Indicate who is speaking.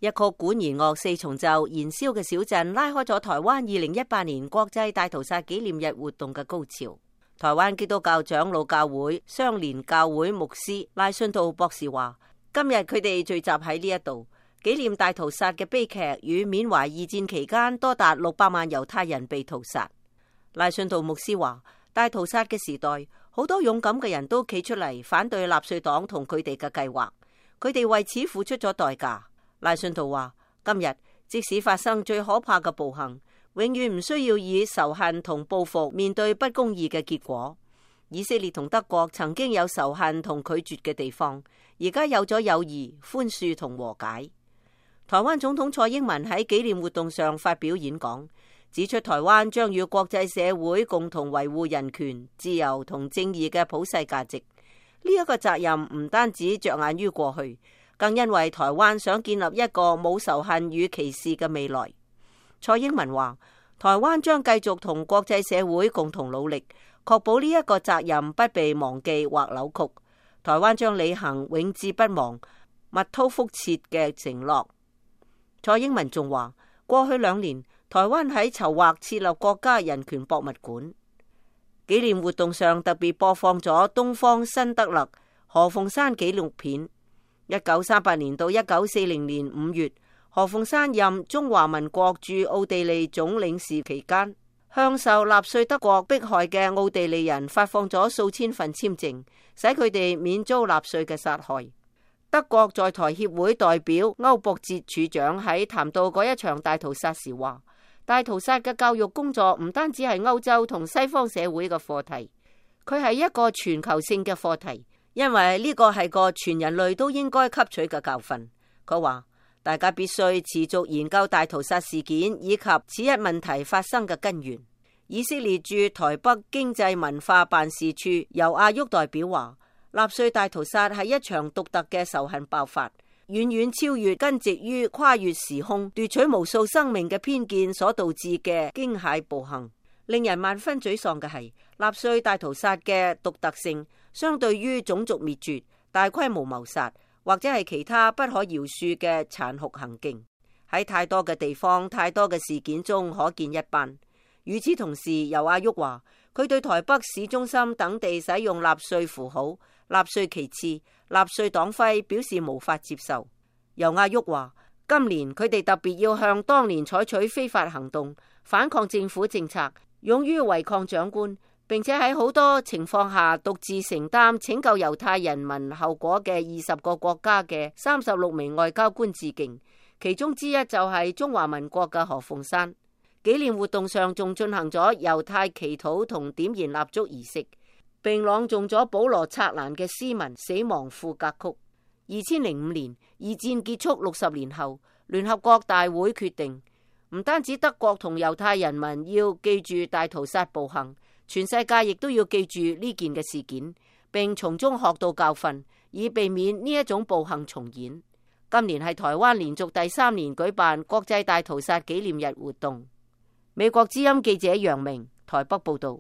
Speaker 1: 一曲管弦樂四重奏燃燒嘅小鎮，拉開咗台灣2018年國際大屠殺紀念日活動嘅高潮。台灣基督教長老教會相連教會牧師賴信道博士話，今日佢哋聚集喺呢一度，紀念大屠殺嘅悲劇與緬懷二戰期間多達600萬猶太人被屠殺。賴信道牧師話，大屠殺嘅時代，好多勇敢嘅人都企出嚟反對納粹黨同佢哋嘅計劃，佢哋為此付出咗代價。賴信道話，今日即使發生最可怕嘅暴行，永遠唔需要以仇恨同報復面對不公義嘅結果。以色列同德國曾經有仇恨同拒絕嘅地方，而家有咗友誼、寬恕同和解。台灣總統蔡英文喺紀念活動上發表演講，指出台灣將與國際社會共同維護人權、自由同正義嘅普世價值。呢一個責任唔單止着眼於過去，更因為台灣想建立一個冇仇恨與歧視嘅未來。蔡英文話，台灣將繼續同國際社會共同努力，確保呢一個責任不被忘記或扭曲。台灣將履行永誌不忘、密韜覆轍嘅承諾。蔡英文仲話，過去2年，台灣喺籌劃設立國家人權博物館。紀念活動上特別播放咗東方辛德勒何鳳山紀錄片。1938年到1940年5月，何鳳山任中華民國駐奧地利總領事期間，向受納粹德國迫害嘅奧地利人發放咗數千份簽證，使佢哋免遭納粹嘅殺害。德國在台協會代表歐博哲處長喺談到嗰一場大屠殺時話，大屠殺嘅教育工作唔單止係歐洲同西方社會嘅課題，佢係一個全球性嘅課題，因為呢個係個全人類都應該吸取嘅教訓。佢話，大家必須持續研究大屠殺事件以及此一問題發生嘅根源。以色列駐台北經濟文化辦事處由阿沃代表話，納粹大屠殺係一場獨特嘅仇恨爆發，遠遠超越根植於跨越時空、奪取無數生命嘅偏見所導致嘅驚駭暴行。令人萬分沮喪嘅係，納粹大屠殺嘅獨特性，相對於種族滅絕、大規模謀殺或者係其他不可饒恕嘅殘酷行徑，喺太多嘅地方、太多嘅事件中可見一斑。與此同時，尤阿沃話，佢對台北市中心等地使用納粹符號、納粹旗幟、納粹黨徽表示無法接受。尤阿沃話，今年佢哋特別要向當年採取非法行動、反抗政府政策、勇於違抗長官，並且喺好多情況下獨自承擔拯救猶太人民後果嘅20個國家嘅36名外交官致敬，其中之一就係中華民國嘅何鳳山。紀念活動上仲進行咗猶太祈禱同點燃蠟燭儀式，並朗誦咗保羅策蘭嘅詩文《死亡賦格曲》。2005年，二戰結束60年後，聯合國大會決定，唔單止德國同猶太人民要記住大屠殺暴行，全世界亦都要記住呢件嘅事件，並從中學到教訓，以避免呢一種暴行重演。今年係台灣連續第3年舉辦國際大屠殺紀念日活動。美國之音記者楊明台北報道。